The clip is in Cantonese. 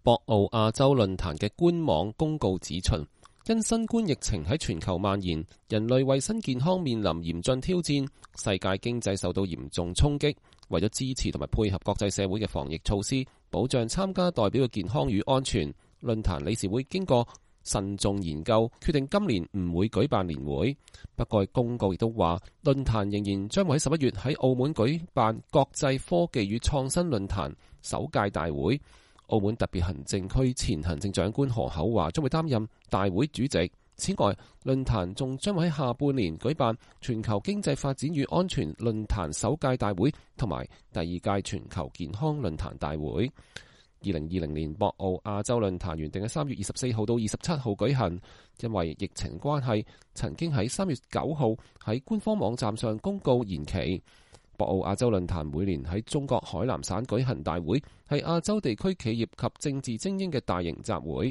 博鰲亞洲論壇嘅官網公告指出，因新冠疫情喺全球蔓延，人類衛生健康面臨嚴峻挑戰，世界經濟受到嚴重衝擊。為咗支持同埋配合國際社會嘅防疫措施，保障參加代表嘅健康與安全，論壇理事會經過慎重研究，決定今年唔會舉辦年會。不過公告亦都話，論壇仍然將會喺11月喺澳門舉辦國際科技與創新論壇首屆大會。澳門特別行政區前行政長官何厚華將會擔任大會主席。此外，論壇仲將會喺下半年舉辦全球經濟發展與安全論壇首屆大會同埋第2屆全球健康論壇大會。2020年博鰲亞洲論壇原定喺3月24號到27號舉行，因為疫情關係，曾經喺3月9號喺官方網站上公告延期。博鰲亞洲論壇每年喺中國海南省舉行大會，係亞洲地區企業及政治精英嘅大型集會。